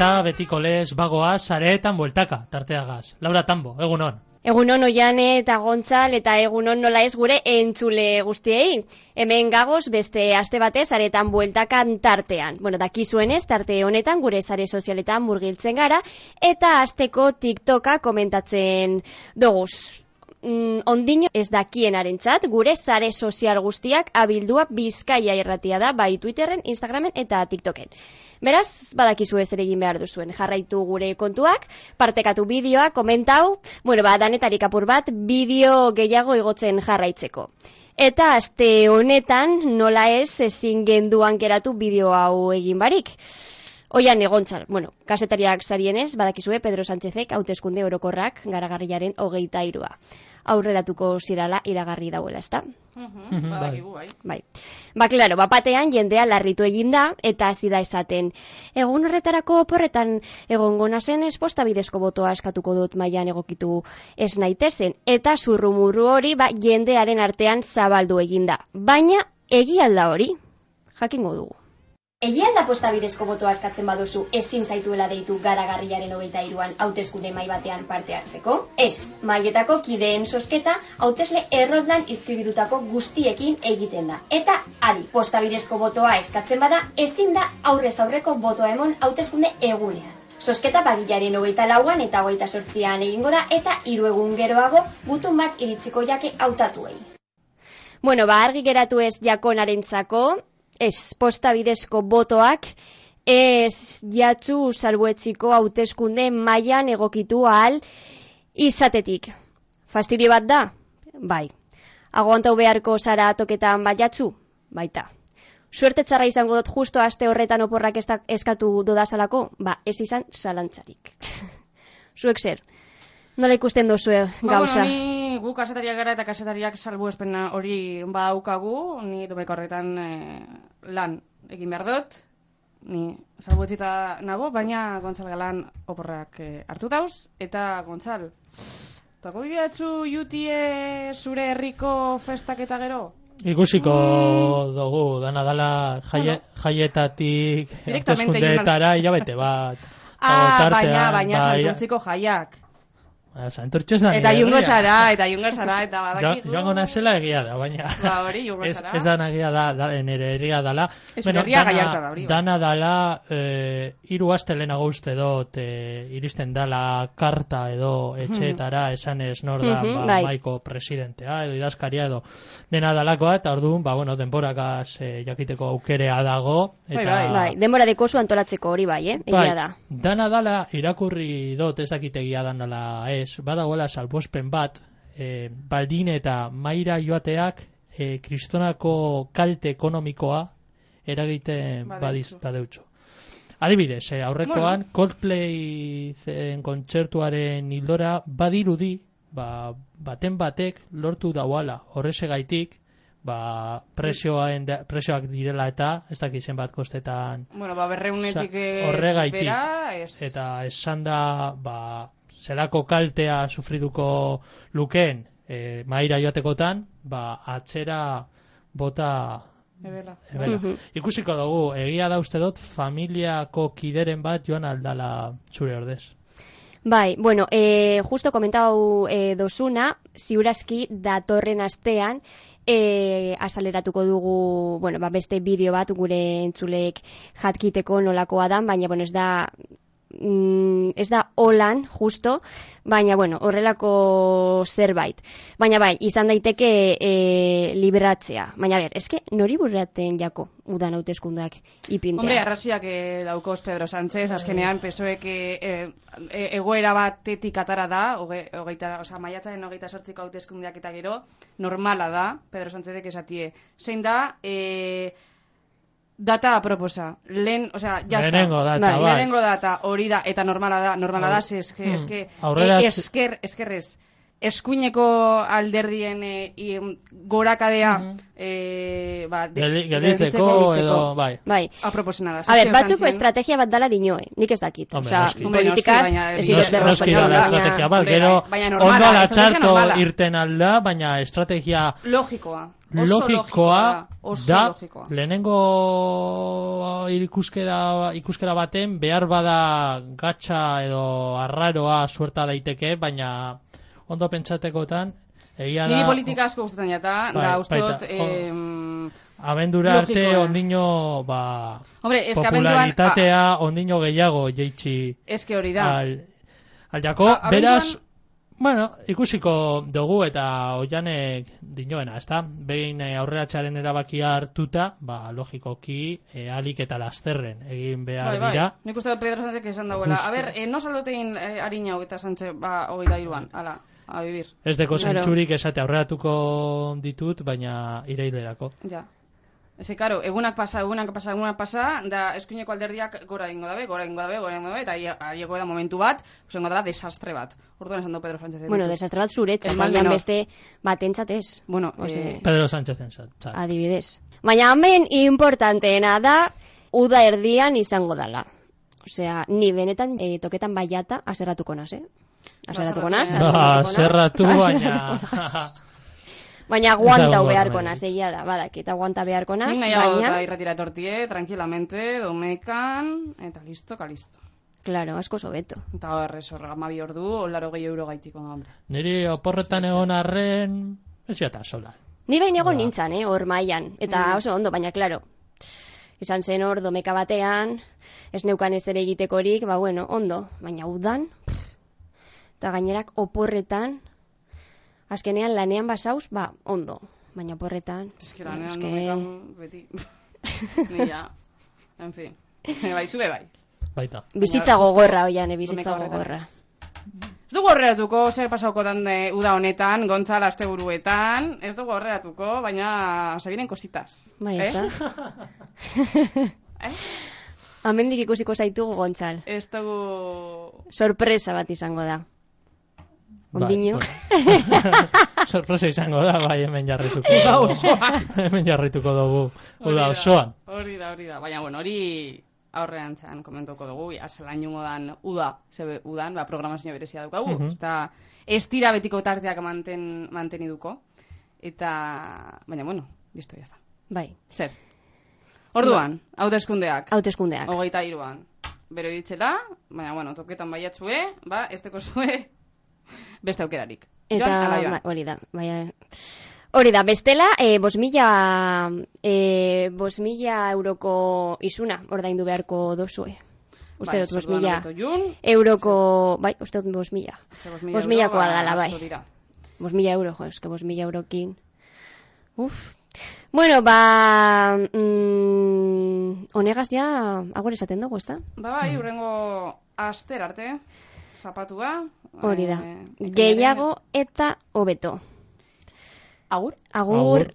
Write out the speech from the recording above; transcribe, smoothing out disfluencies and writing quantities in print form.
eta betiko lez bagoaz, sareetan bueltaka, tarteagaz. Laura Tambo, egunon. Egunon Oiane eta Gontzal eta egunon nola ez gure entzule guztiei. Hemen gagoz beste aste batez sareetan bueltakan tartean. Bueno, dakizuenez, tarte honetan gure sare sozialetan murgiltzen gara eta asteko TikToka komentatzen doguz. Ondino ez dakienarentzat gure sare sozial guztiak abildua Bizkaia irratia da, bai Twitterren, Instagramen eta TikToken. Beraz, badakizu ez ere egin behar duzuen. Jarraitu gure kontuak, partekatu bideoa, komentau, danetarik apur bat, bideo gehiago igotzen jarraitzeko. Eta aste honetan, nola ez ezin genduan geratu bideo hau egin barik. Oian Gontzal, kasetariak sarienez, badakizue Pedro Sánchezek hauteskunde orokorrak garagarriaren 23. Aurreratuko zirala iragarri dauela, ezta? Bai. Claro, batean jendea larritu egin da eta hasi da esaten. Egun horretarako oporretan egongo nazen posta bidezko botoa eskatuko dut mailan egokitu ez naitezen eta zurrumurru hori jendearen artean zabaldu egin da. Baina egia alda hori jakingo dugu. Egia alda posta bidezko botoa eskatzen baduzu ezin zaituela deitu garagarriaren 23an hauteskunde mahai batean parte hartzeko? Ez, mailetako kideen zozketa hautesle erroldan inskribitutako guztiekin egiten da. Eta adi, posta bidezko botoa eskatzen bada ezin da aurrez aurreko botoa emon hauteskunde egunean. Zozketa bagilaren 24an eta 28an egingo da eta 3 egun geroago gutun bat iritziko jake hautatuei. Argi geratu ez jakonarentzako, ez posta bidezko botoak ez jatzu salbuetziko hauteskunde mailan egokitu ahal izatetik. Fastidio bat da? Bai. Aguantau beharko zara toketan baiatzu? Baita. Suertetzarra izango dut justo aste horretan oporrak eskatu dodazalako? Ez izan zalantzarik. Zuek zer? Nola ikusten dozue gauza? Ni gu kasetariak gara eta kasetariak salbuespena hori badaukagu, ni domeko horretan lan egin behar dut, ni salbuetzita nago, baina Gontzal Galan oporrak hartu dauz, eta Gontzal, tako bideatzu jutie zure herriko festak eta gero? Ikusiko dugu, dana dala jaietatik hauteskundeetara hilabete bat. Baina santurtziko jaiak. Eta jungo zara, eta badakigu. Joango nazela egia da, baina hori jungo zara. Ez dana egia da, nire egia dala. Dana dala, 3 aste lehenago uste dot, iristen dala karta edo etxeetara esanez nor da maiko presidentea edo idazkaria edo dena dalakoa, eta orduan, denborakaz jakiteko aukerea dago. Bai, denbora dekozu antolatzeko hori egia da. Dana dala, irakurri dot ezakitegia dan dala badagoela salbuespen bat, baldin eta maira joateak kristonako kalte ekonomikoa eragiten badeutxo. Adibidez, aurrekoan Coldplay kontzertuaren hildora badirudi, baten batek lortu dauala horrezegaitik, presioak direla eta ez dakizen bat kostetan berreunetik horregaitik eta esan da zelako kaltea sufriduko lukeen maira joatekotan, atzera bota ebela. Ikusiko dugu, egia da uste dut familiako kideren bat joan aldala zure ordez. Bai, justo komentau dozuna, ziurazki datorren astean azaleratuko dugu, beste bideo bat gure entzulek jatkiteko nolakoa dan, baina ez da holan, justo, baina horrelako zerbait. Baina izan daiteke liberatzea. Baina eske nori burraten jako udan hauteskundak ipintea? Hombre, arraziak daukoz Pedro Sánchez, azkenean PSOEk egoera batetik atara da, maiatzaren 28ko hauteskundeak eta gero, normala da, Pedro Sánchezek esatie. Zein da, data aproposa. Lehenengo data, hori da, eta normala da, eskuineko alderdien gorakadea gelditzeko edo, bai. Aproposena da. A ber, batzuk estrategia bat dala dinoe, nik ez dakit. Osa, politikaz, ez noski da estrategia bat, gero ondo ala txarto irten alda, baina estrategia logikoa da, lehenengo ikuskera baten behar bada gatsa edo arraroa suerta daiteke, baina ondo pentsatekotan egia da... Niri politika asko gustatzen jata, da ustot... Abendura arte ondino popularitatea ondino gehiago jeitsi hori da. Al jako, beraz, bueno, ikusiko dugu eta oianek dinoena, ezta? Behin aurreratxaren erabakia hartuta, logikoki, alik eta lasterren egin behar dira. Nik uste Pedro Sánchez esan dagoela. A ber, no saldotein Ariñau eta Sánchez 23an, ala. A vivir. Ez deko zentzurik esate aurreratuko ditut, baina irailerako. Ja. Eze, karo, egunak pasa, da eskuineko alderdiak gora egingo dabe, eta aieko da momentu bat, osengo da desastre bat. Orduan esan du Pedro Sánchez. Bueno, desastre bat zuretzat, baina beste batentzatez. Bueno, Pedro Sánchez entzat. Adibidez. Baina hemen importanteena da, uda erdian izango dala. Osea, ni benetan toketan baiata aserratuko naz, Aserratuko naz? Aserratu, baina... Baina aguantau beharko naz, egia da, badakit, aguanta beharko naz, baina... Baina irratira etortie, tranquilamente, domekan, eta listo, kalisto. Claro, asko sobeto. Eta horrez, horrega ordu, €80 gaitiko, hombre. Niri oporretan egon arren, ez jata sola. Ni bain egon nintzan, hor mailan, eta oso ondo, baina, claro, izan zen hor domeka batean, ez neukan ez ere egitekorik, bueno, ondo, baina udan, eta gainerak oporretan, azkenean lanean basauz, ondo. Baina oporretan... Ez que lanean domekan beti. Nila. En fin. Bai, zube bai. Baita. Bizitza gogorra, oian, bizitza gogorra. Ez dugu horreatuko, zer pasauko dan uda honetan, Gontzal asteburuetan, ez dugu horreatuko, baina se vienen cositas. Bai, ez da. Amendik ikusiko zaitugu, Gontzal. Ez dugu... Sorpresa bat izango da. Ondino. Sorpresa izango da, bai, hemen jarrituko. Uda osoan. Hemen jarrituko dugu. Uda osoan. Hori da. Baina, bueno, hori aurrean txan komentuko dugu. Azalan jungo dan uda, zebe udan, programazio berezia dukagu. Ez dira betiko tarteak manteniduko. Eta, baina, bueno, listo, ya está. Bai. Zer. Orduan, hauteskundeak. 23an. Bero ditzela, baina, bueno, toketan baiatzue, ez teko zue... Beste aukerarik. Eta hori da, hori da, bestela, 5.000 euroko isuna ordaindu beharko dozue. Uste dut 5.000 euroko, uste dut 5.000. 5.000koa dala, bai. 5.000 euro, eske 5.000 eurokin. Bueno, honegaz ja, agor esaten dugu, ez da? Bai, urrengo aster arte. Zapatua. Hori da. Gehiago eta hobeto. Agur. Agur.